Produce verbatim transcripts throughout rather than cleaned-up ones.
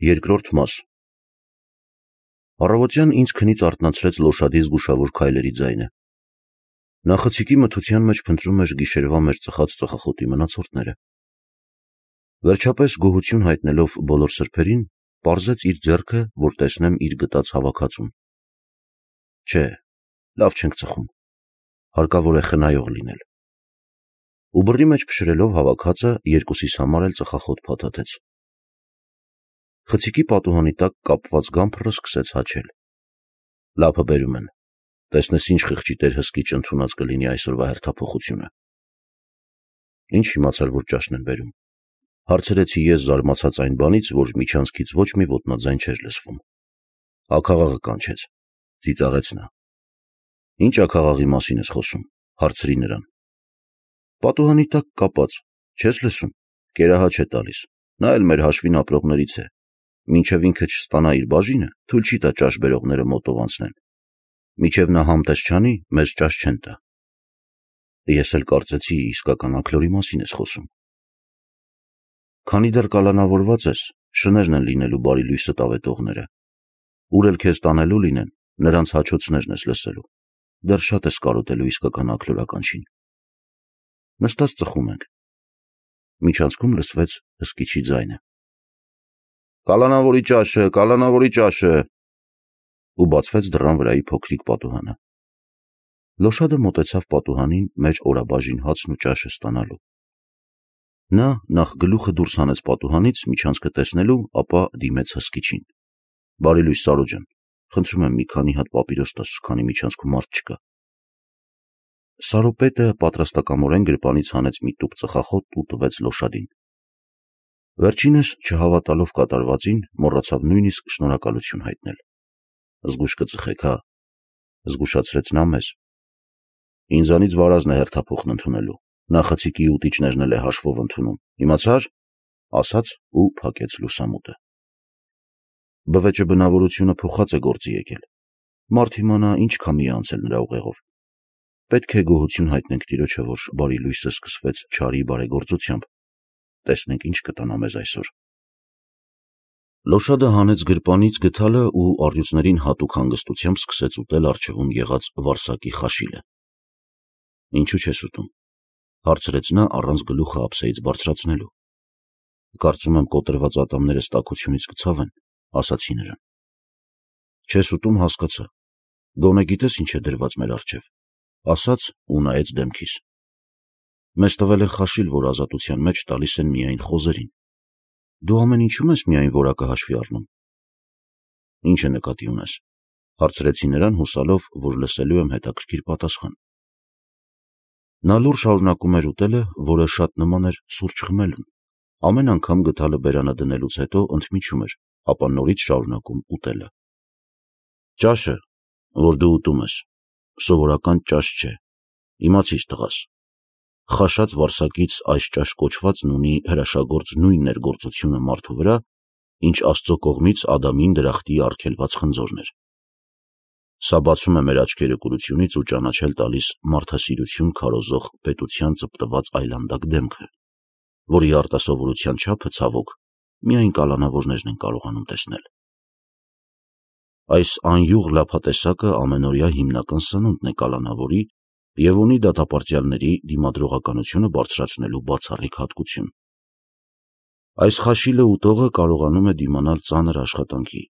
Երկրորդ մաս Առավոտյան ինձ քնից արթնացրեց Լոշադի զգուշավոր քայլերի ձայնը։ Նա խցիկի մթության մեջ փնտրում էր գիշերվա մեր ծխած ծխախոտի մնացորդները։ Վերջապես գոհություն հայտնելով բոլոր սրբերին, պարզեց իր ձեռքը, որ տեսնեմ իր գտած հավաքածուն։ Չէ, լավ չենք ծխում, հարկավոր է խնայող լինել։ Ու բռի մեջ փշրելով հավաքածը երկուսիս համար էլ ծխախոտ փաթաթեց։ Խցիկի պատուհանի տակ կապված գամփրը սկսեց հաչել։ Լափը բերում են, տեսնես ինչ խղճի տեր հսկիչ ընդունած կլինի այսօրվա հերթափոխությունը։ Ինչ իմացար, որ ճաշն են բերում, հարցրեցի ես զարմացած այն բանից, որ միջանցքից ոչ մի ոտնաձայն չէր լսվում։ Աքաղաղը կանչեց, ծիծաղեց նա։ Ինչ աքաղաղի մասին ես խոսում, հարցրի նրան։ Պատուհանի տակ կապած, չես լսում, կերահաչ է տալիս, նա էլ մեր հաշվին ապրողներից է, մինչև ինքը չստանա իր բաժինը, թույլ չի տա ճաշ բերողները մոտով անցնեն, մինչև նա համտես չանի, մեզ ճաշ չեն տա։ Ես էլ կարծեցի իսկական աքլորի մասին ես խոսում։ Քանի դեռ կալանավորված ես, շներն են լինելու բարի լույսը տավետողները, ուր էլ քեզ տանելու լինեն, նրանց հաչոցներն ես լսելու, դեռ շատ ես կարոտելու իսկական աքլորականչին։ Նստած ծխում ենք։ Միջանցքում լսվեց հսկիչի ձայնը։ Կալանավորի ճաշը, կալանավորի ճաշը, ու բացվեց դռան վրայի փոքրիկ պատուհանը։ Լոշադը մոտեցավ պատուհանին մեր օրաբաժին հացն ու ճաշը ստանալու։ Նա նախ գլուխը դուրս հանեց պատուհանից միջանցքը տեսնելու, ապա դիմեց հսկիչին։ Բարի լույս, Սարո ջան, խնդրում եմ մի քանի հատ պապիրոս տաս, քանի միջանցքում մարդ չկա։ Սարոպետը պատրաստակամորեն գրպանից հանեց մի տուփ ծխախոտ ու տվեց Լոշադին։ Վերջինս, չհավատալով կատարվածին, մոռացավ նույնիսկ շնորհակալություն հայտնել։ Զգույշ կծխեք, հա, զգուշացրեց նա մեզ։ Ինձանից վարազն է հերթափոխն ընդունելու, նա խցիկի ուտիչներն էլ է հաշվով ընդունում, իմացա՞ր, ասաց ու փակեց լուսամուտը։ Բվեճը բնավորությունը փոխած է գործի եկել։ Մարդ իմանա ինչ քամի է անցել նրա ուղեղով։ Պետք է գոհություն հայտնենք Տիրոջը, որ բարի լույսը սկսվեց չարի բարեգործությամբ։ Տեսնենք ինչ կտանա մեզ այսօր։ Լոշադը հանեց գրպանից գդալը ու առյուծներին հատուկ հանգստությամբ սկսեց ուտել առջևում եղած վարսակի խաշիլը։ Ինչու չես ուտում, հարցրեց նա առանց գլուխը ափսեից բարձրացնելու։ Կարծում եմ կոտրված ատամներս տաքությունից կցավեն, ասացի նրան։ Չես ուտում, հասկացա։ Գոնե գիտես ինչ է դրված մեր առջև, ասաց ու նայեց դեմքիս։ Մեզ տվել են խաշիլ, որ ազատության մեջ տալիս են միայն խոզերին։ Դու ամեն ինչում ես միայն որակը հաշվի առնում։ Ինչ է նկատի ունես, հարցրեցի նրան հուսալով, որ լսելու եմ հետաքրքիր պատասխան։ Նա լուռ շարունակում էր ուտելը, որը շատ նման էր սուրճ խմելուն։ Ամեն անգամ գդալը բերանը դնելուց հետո ընդմիջում էր, ապա նորից շարունակում ուտելը։ Ճաշը, որ դու ուտում ես, սովորական ճաշ չէ, իմացիր տղաս։ Խաշած վարսակից այս ճաշ կոչվածն ունի հրաշագործ նույն ներգործությունը մարդու վրա, ինչ Աստծո կողմից Ադամին դրախտի արգելված խնձորն էր։ Սա բացում է մեր աչքերը կուրությունից ու ճանաչել տալիս մարդասիրություն քարոզող պետության ծպտված այլանդակ դեմքը, որի արտասովորության չափը, ցավոք, միայն կալանավորներն են կարողանում տեսնել։ Այս անյուղ լափատեսակը ամենօրյա հիմնական սնունդն է կալանավորի և ունի դատապարտյալների դիմադրողականությունը բարձրացնելու բացառիկ հատկություն։ Այս խաշիլը ուտողը կարողանում է դիմանալ ծանր աշխատանքի։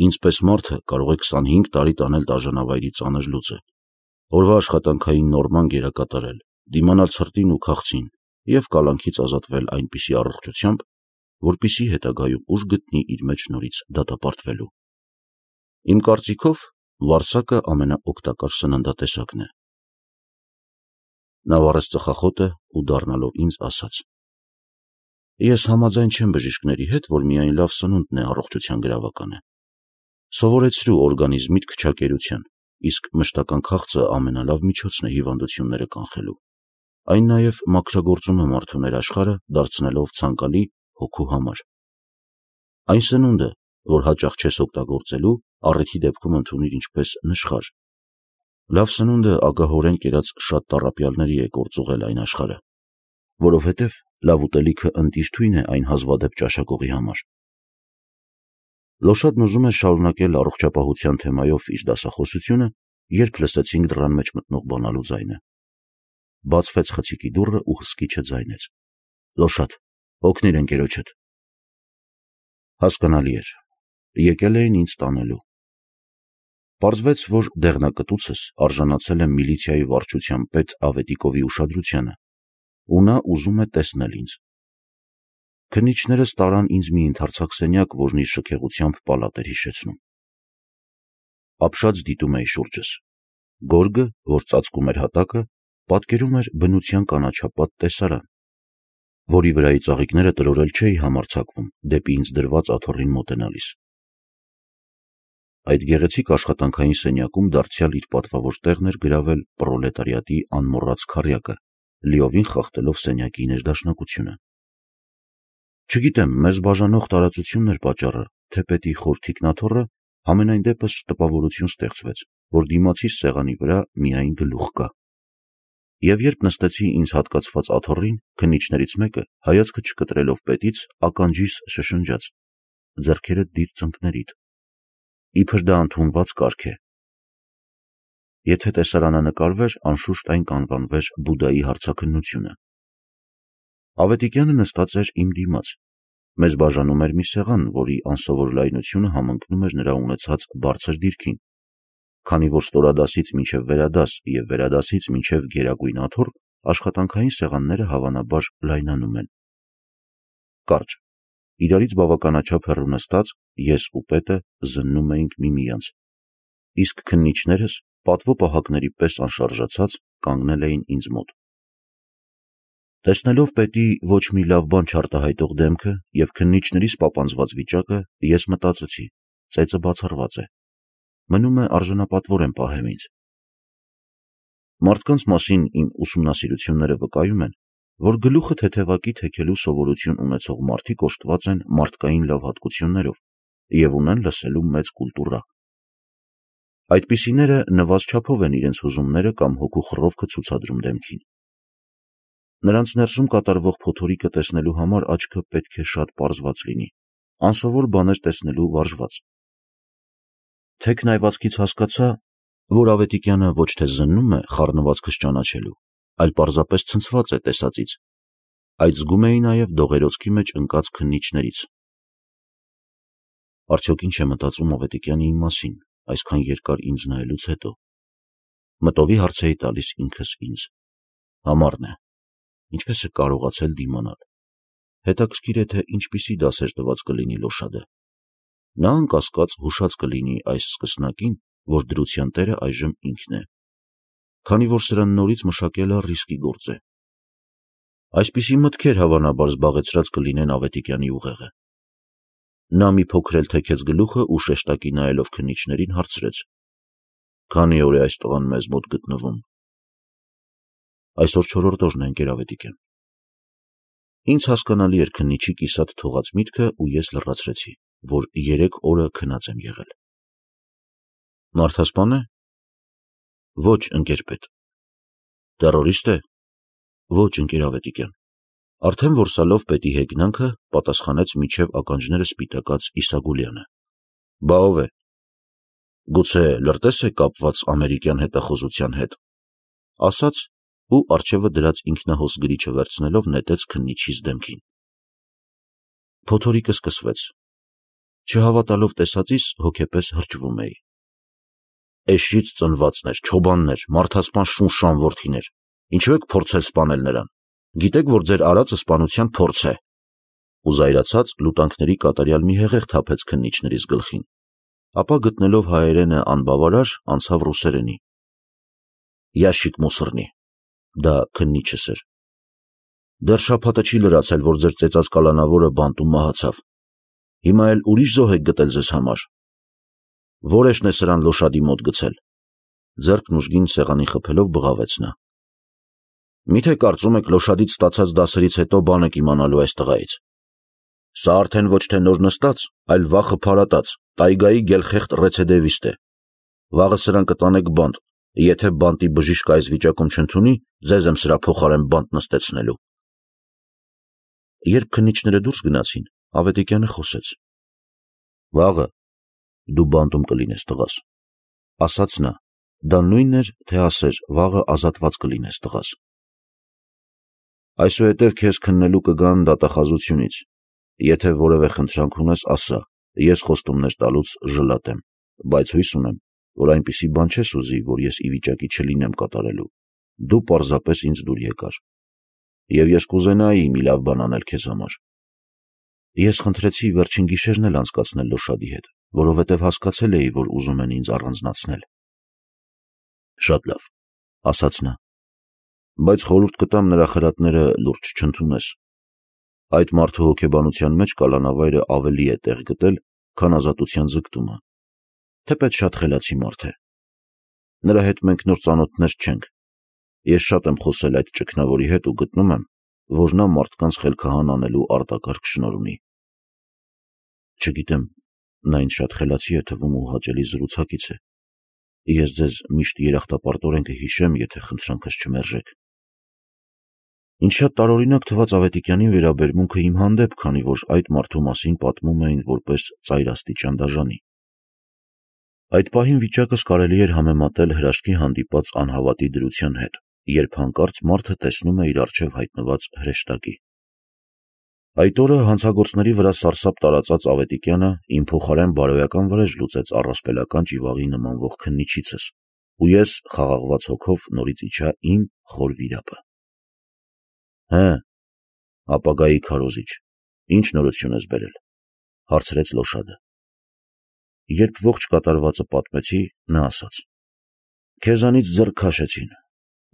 Ինձ պես մարդը կարող է քսանհինգ տարի տանել դաժանավայրի ծանր լուծը, օրվա աշխատանքային նորման գերակատարել, դիմանալ ցրտին ու քաղցին և կալանքից ազատվել այնպիսի առողջությամբ, որպեսզի հետագայում ուժ գտնի իր մեջ նորից դատապարտվելու։ Իմ կարծիքով, վարսակը ամենաօգտակար սննդատեսակն է։ Նա վառեց ծխախոտը ու դառնալով ինձ ասաց. Ես համաձայն չեմ բժիշկների հետ, որ միայն լավ սնունդն է առողջության գրավականը։ Սովորեցրու օրգանիզմիդ քչակերության, իսկ մշտական քաղցը ամենալավ միջոցն է հիվանդությունները կանխելու։ Այն նաև մաքրագործում է մարդու ներաշխարհը, դարձնելով ցանկալի հոգու համար։ Այն սնունդը, որ հաճախ չես օգտագործելու, առիթի դեպքում ընդունիր ինչպես նշխար։ Լավ սնունդը ագահորեն կերած շատ տառապյալների է գործուղել այն աշխարհը, որովհետև լավ ուտելիքը ընտիր թույն է այն հազվադեպ ճաշակողի համար։ Լոշադն ուզում էր շարունակել առողջապահության թեմայով իր դասախոսությունը, երբ լսեցինք դռան մեջ մտնող բանալու ձայնը։ Բացվեց խցիկի դուռը ու հսկիչը ձայնեց. Լոշադ, օգնիր ընկերոջդ։ Հասկանալի էր, եկել էին ինձ տանելու։ Պարզվեց, որ դեղնակտուցս արժանացել է միլիցիայի վարչության պետ Ավետիկովի ուշադրությանը, ու նա ուզում է տեսնել ինձ։ Քննիչներս տարան ինձ մի ընդարձակ սենյակ, որն իր շքեղությամբ պալատ էր հիշեցնում։ Ապշած դիտում էի շուրջս։ Գորգը, որ ծածկում էր հատակը, պատկերում էր բնության կանաչապատ տեսարան, որի վրայի ծաղիկները տրորել չէի համարձակվում դեպի ինձ դրված աթոռին մոտենալիս։ Այդ գեղեցիկ աշխատանքային սենյակում դարձյալ իր պատվավոր տեղն էր գրավել պրոլետարիատի անմոռաց քառյակը, լիովին խախտելով սենյակի ներդաշնակությունը։ Չգիտեմ, մեզ բաժանող տարածությունն էր պատճառը, թե պետի խոր թիկնաթոռը, համենայն դեպս տպավորություն ստեղծվեց, որ դիմացիս սեղանի վրա միայն գլուխ կա։ Եվ երբ նստեցի ինձ հատկացված աթոռին, քննիչներից մեկը, հայացքը չկտրելով պետից, ականջիս շշնջաց. ձեռքերդ դիր ծնկներիդ, իբր դա ընդունված կարգ է։ Եթե տեսարանը նկարվեր, անշուշտ այն կանվանվեր Բուդդայի հարցաքննությունը։ Ավետիքյանը նստած էր իմ դիմաց։ Մեզ բաժանում էր մի սեղան, որի անսովոր լայնությունը համընկնում էր նրա ունեցած բարձր դիրքին, քանի որ ստորադասից մինչև վերադաս և վերադասից մինչև գերագույն աթոռ աշխատանքային սեղանները հավանաբար լայնանում են։ Կարճ, իրարից բավականաչափ հեռու նստած, ես ու պետը զննում էինք միմյանց, իսկ քննիչներս, պատվո պահակների պես անշարժացած, կանգնել էին ինձ մոտ։ Տեսնելով պետի ոչ մի լավ բան չարտահայտող դեմքը և քննիչներիս պապանձված վիճակը, ես մտածեցի, ծեծը բացառված է, մնում է արժանապատվորեն պահեմ ինձ։ Մարդկանց մասին իմ ուսումնասիրությունները վկայում են, որ գլուխը թեթևակի թեքելու սովորություն ունեցող մարդիկ օժտված են մարդկային լավ հատկություններով և ունեն լսելու մեծ կուլտուրա։ Այդպիսիները նվազ չափով են իրենց հուզումները կամ հոգու խռովքը ցուցադրում դեմքին։ Նրանց ներսում կատարվող փոթորիկը տեսնելու համար աչքը պետք է շատ պարզված լինի, անսովոր բաներ տեսնելու վարժված։ Թեք նայվածքից հասկացա, որ Ավետիքյանը ոչ թե զննում է խառնվածքս ճանաչելու, այլ պարզապես ցնցված է տեսածից, այդ զգում էի նաև դողերոցքի մեջ ընկած քննիչներից։ Արդյոք ինչ է մտածում Ավետիքյանը իմ մասին, այսքան երկար ինձ նայելուց հետո։ Մտովի հարց էի տալիս ինքս ինձ։ Համառն է, ինչպես է կարողացել դիմանալ։ Հետաքրքիր է, թե ինչպիսի դասեր տված կլինի Լոշադը։ Նա անկասկած հուշած կլինի այս սկսնակին, որ դրության տերը այժմ ինքն է, քանի որ սրան նորից մշակելը ռիսկի գործ է։ Այսպիսի մտքեր հավանաբար զբաղեցրած կլինեն Ավետիքյանի ուղեղը։ Նա մի փոքր էլ թեքեց գլուխը ու շեշտակի նայելով քննիչներին հարցրեց. Քանի՞ օր է այս տղան մեզ մոտ գտնվում։ Այսօր չորրորդ օրն է, ընկեր Ավետիքյան։ Ինձ հասկանալի էր քննիչի կիսատ թողած միտքը ու ես լրացրեցի, որ երեք օրը քնած եմ եղել։ Մարդասպան է։ Ոչ, ընկեր պետ։ Տերորիստ է։ Ոչ, ընկեր Ավետիքյան։ Արդեն որսալով պետի հեգնանքը, պատասխանեց միջև ականջները սպիտակած Իսագուլյանը։ Բա ով է։ Գուցե լրտես է կապված ամերիկյան հետախուզության հետ, ասաց ու առջևը դրած ինքնահոս գրիչը վերցնելով նետեց քննիչիս դեմքին։ Փոթորիկը սկսվեց։ Չհավատալով տեսածիս հոգեպես հրճվում էի։ Էշից ծնվածներ, չոբաններ, մարդասպան շունշան որդիներ, ինչու եք փորձել սպանել նրան։ Գիտեք, որ ձեր արածը սպանության փորձ է։ Ու զայրացած լուտանքների կատարյալ մի հեղեղ թափեց քննիչներիս գլխին, ապա գտնելով հայերենը անբավարար, անցավ ռուսերենի։ Յաշիկ մուսռնի։ Դա քննիչս էր։ Դեռ շաբաթը չի լրացել, որ ձեր ծեծած կալանավորը բանտում մահացավ։ Հիմա էլ ուրիշ զոհ եք գտել ձեզ համար։ Որեշն է սրան Լոշադի մոտ գցել։ Ձեռքն ուժգին սեղանին խփելով բղավեց նա։ Միթե կարծում եք Լոշադից ստացած դասերից հետո բան եք իմանալու այս տղայից։ Սա արդեն ոչ թե նոր նստած, այլ վախը փարատած, տայգայի գելխեղտ ռեցեդևիստ է։ Վաղը սրան կտանեք բանտ, եթե բանտի բժիշկը այս վիճակում չընդունի, ձեզ եմ սրա փոխարեն բանտ նստեցնելու։ Երբ քննիչները դուրս գնացին, Ավետիքյանը խոսեց։ Վաղը, Դու բանտում կլինես, տղաս, ասաց նա, դա նույնն էր, թե ասեր, վաղը ազատված կլինես, տղաս։ Այսուհետև քեզ քննելու կգան դատախազությունից, եթե որևէ խնդրանք ունես, ասա, ես խոստումներ տալուց ժլատեմ, բայց հույս ունեմ, որ այնպիսի բան չես ուզի, որ ես ի վիճակի չլինեմ կատարելու, դու պարզապես ինձ դուր եկար, և ես կուզենայի մի լավ բան անել քեզ համար։ Ես խնդրեցի վերջին գիշերն էլ անցկացնել Լոշադի հետ, որովհետև հասկացել էի, որ ուզում են ինձ առանձնացնել։ Շատ լավ, ասաց նա, բայց խորհուրդ կտամ նրա խրատները լուրջ չընդունես։ Այդ մարդու հոգեբանության մեջ կալանավայրը ավելի է տեղ գտել, քան ազատության ձգտումը, թեպետ շատ խելացի մարդ է։ Նրա հետ մենք նոր ծանոթներ չենք։ Ես շատ եմ խոսել այդ ճգնավորի հետ ու գտնում եմ, որ նա մարդկանց խելքահան անելու արտակարգ շնորհ ունի։ Չգիտեմ, նա ինձ շատ խելացի է թվում ու հաճելի զրուցակից է։ Ես ձեզ միշտ երախտապարտորեն կհիշեմ, եթե խնդրանքս չմերժեք։ Ինչ շատ տարօրինակ թվաց Ավետիքյանին վերաբերմունքը իմ հանդեպ, քանի որ այդ մարդու մասին պատմում էին որպես ծայրաստիճան դաժանի։ Այդ պահին վիճակս կարելի էր համեմատել հրաշքի հանդիպած անհավատի դրության հետ, երբ հանկարծ մարդը տեսնում է իր առջև հայտնված հրեշտակի։ Այդ օրը հանցագործների վրա սարսափ տարածած Ավետիքյանը իմ փոխարեն բարոյական վրեժ լուծեց առասպելական ճիվաղի նմանվող քննիչիցս, ու ես խաղաղված հոգով նորից իջա իմ խոր վիրապը։ Հը, ապագայի քարոզիչ, ինչ նորություն ես բերել, հարցրեց Լոշադը։ Երբ ողջ կատարվածը պատմեցի, նա ասաց. Քեզանից ձեռք քաշեցին,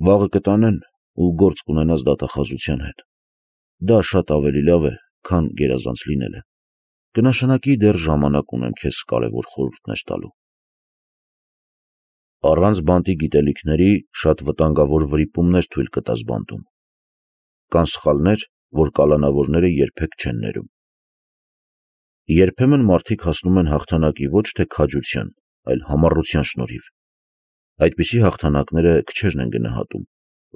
վաղը կտանեն ու գործ կունենաս դատախազության հետ։ Դա շատ ավելի լավ է, քան գերազանց լինելը։ Կնշանակի դեռ ժամանակ ունեմ քեզ կարևոր խորհուրդներ տալու։ Առանց բանտի գիտելիքների շատ վտանգավոր վրիպումներ թույլ կտաս բանտում։ Կան սխալներ, որ կալանավորները երբեք չեն ներում։ Երբեմն մարդիկ հասնում են հաղթանակի ոչ թե քաջության, այլ համառության շնորհիվ։ Այդպիսի հաղթանակները քչերն են գնահատում,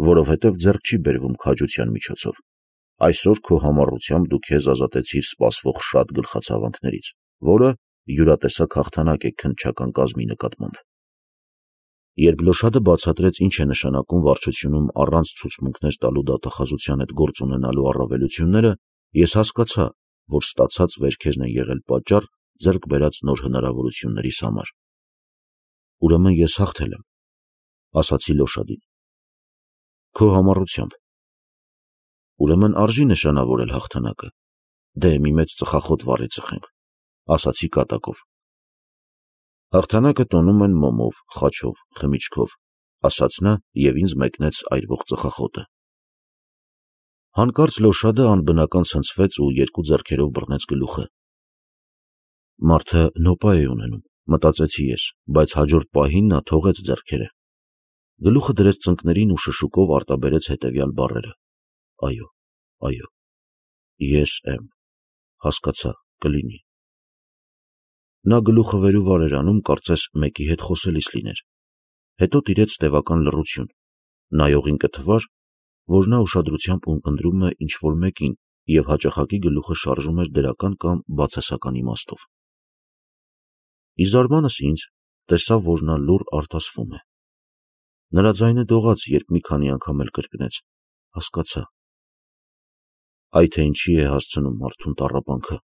որովհետև ձեռք չի բերվում քաջության միջոցով։ Այսօր քո համառությամբ դու քեզ ազատեցիր սպասվող շատ գլխացավանքներից, որը յուրատեսակ հաղթանակ է քննչական կազմի նկատմամբ։ Երբ Լոշադը բացատրեց ինչ է նշանակում վարչությունում առանց ցուցմունքներ տալու դատախազության հետ գործ ունենալու առավելությունները, ես հասկացա, որ ստացած վերքերն են եղել պատճառ ձեռք բերած նոր հնարավորություններիս համար։ Ուրեմն ես հաղթել եմ, ասացի Լոշադին։ Քո համառությամբ։ Ուրեմն արժի նշանավորել հաղթանակը։ Դե մի մեծ ծխախոտ վառի ծխենք, ասացի կատակով։ Հաղթանակը տոնում են մոմով, խաչով, խմիչքով, ասաց նա և ինձ մեկնեց այրվող ծխախոտը։ Հանկարծ Լոշադը անբնական ցնցվեց ու երկու ձեռքերով բռնեց գլուխը։ Մարդը նոպա է ունենում, մտածեցի ես, բայց հաջորդ պահին նա թողեց ձեռքերը։ Գլուխը դրեց ծնկներին ու շշուկով արտաբերեց հետևյալ բառերը. Այո, այո, ես եմ, հասկացա, կլինի։ Նա գլուխը վեր ու վար էր անում, կարծես մեկի հետ խոսելիս լիներ։ Հետո տիրեց տևական լռություն, նայողին կթվար, որ նա ուշադրությամբ ունկնդրում է ինչ-որ մեկին և հաճախակի գլուխը շարժում էր դրական կամ բացասական իմաստով։ Ի զարմանս ինձ տեսա, որ նա լուռ արտասվում է։ Նրա ձայնը դողաց, երբ մի քանի անգամ էլ կրկնեց. հասկացա։ Այ թե ինչի է հասցնում մարդուն տառապանքը,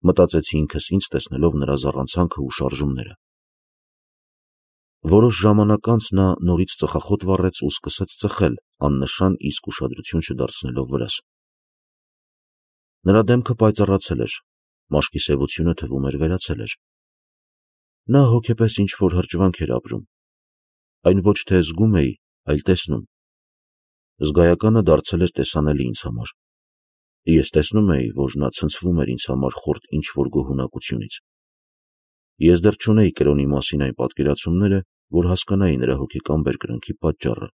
մտածեցի ինքս ինձ տեսնելով նրա զառանցանքը ու շարժումները։ Որոշ ժամանակ անց նա նորից ծխախոտ վառեց ու սկսեց ծխել, աննշան իսկ ուշադրություն չդարձնելով վրաս։ Նրա դեմքը պայծառացել էր, մաշկի սևությունը թվում էր վերացել էր։ Նա հոգեպես ինչ-որ հրճվանք էր ապրում։ Այն ոչ թե զգում էի, այլ տեսնում։ Զգայականը դարձել էր տեսանելի ինձ համար։ Ես տեսնում էի, որ նա ցնցվում էր ինձ համար խորտ ինչ-որ գոհունակությունից։ Ես դեռ չունեի կրոնի մասին այն պատկերացումները, որ հասկանայի նրա հոգեկան բերկրանքի պատճառը,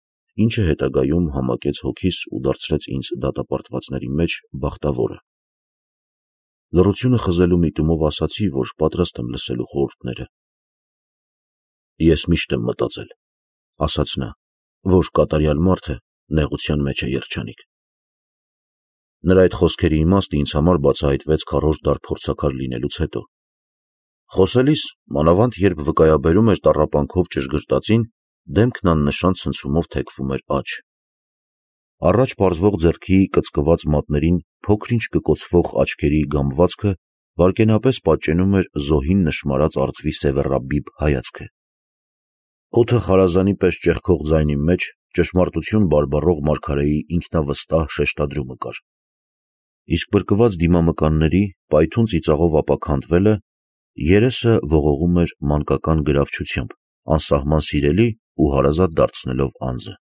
ինչը հետագայում համակեց հոգիս ու դարձրեց ինձ դատապարտվածների մեջ բախտավորը։ Լռությունը խզելու միտումով ասացի, որ պատրաստ եմ լսելու խորհուրդները։ Ես միշտ եմ մտածել, ասաց նա, որ կատարյալ մարդը նեղության մեջ է երջանիկ։ Նրա այդ խոսքերի իմաստը ինձ համար բացահայտվեց քառորդ դար փորձաքար լինելուց հետո։ Խոսելիս, մանավանդ երբ վկայաբերում էր տառապանքով ճշգրտածին, դեմքն աննշան ցնցումով թեքվում էր աջ։ Առաջ պարզվող ձեռքի կծկված մատներին փոքր-ինչ կկոցվող աչքերի գամվածքը վայրկենապես պատճենում էր զոհին նշմարած արծվի սևեռաբիբ հայացքը։ Օդը խարազանի պես ճեղքող ձայնի մեջ ճշմարտություն բարբառող Մարգարեի ինքնավստահ շեշտադրումը կար։ Իսկ բրկված դիմամկանների պայթուն ծիծաղով ապաքանդվելը երեսը ողողում էր մանկական գրավչությամբ, անսահման սիրելի ու հարազատ դարձնելով անձը։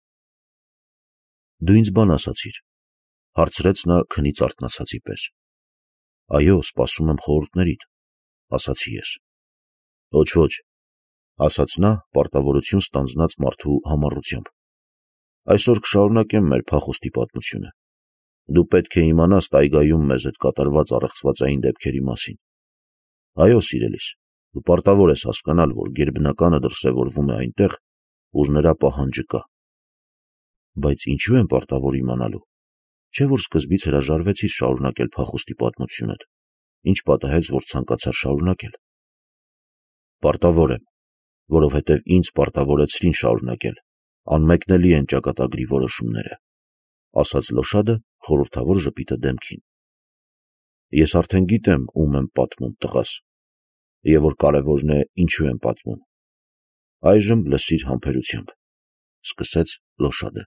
«Դու ինձ բան ասացիր», ֊ հարցրեց նա քնից արթնացածի պես։ «Այո, սպասում եմ խորհուրդներիդ», ֊ ասացի ես։ «Ոչ, ոչ», ֊ ասաց նա պարտավորություն ստանձնած մարդու համառությամբ։ «Այսօր կշարունակեմ մեր փախուստի պատմությունը։ Դու պետք է իմանաս տայգայում մեզ հետ կատարված առեղծվածային դեպքերի մասին։ Այո, սիրելիս, դու պարտավոր ես հասկանալ, որ գերբնականը դրսևորվում է այնտեղ, ուր նրա պահանջը կա։ Բայց ինչու եմ պարտավոր իմանալու։ Չէ՞ որ սկզբից հրաժարվեցիր շարունակել փախուստի պատմությունդ, ինչ պատահեց, որ ցանկացար շարունակել։ Պարտավոր եմ, որովհետև ինձ պարտավորեցրին շարունակել, անմեկնելի են ճակատագրի որոշումները», ֊ ասաց Լոշադը խորհրդավոր ժպիտը դեմքին։ «Ես արդեն գիտեմ, ում եմ պատմում, տղաս, և որ կարևորն է, ինչու եմ պատմում։ Այժմ լսիր համբերությամբ», ֊ սկսեց Լոշադը։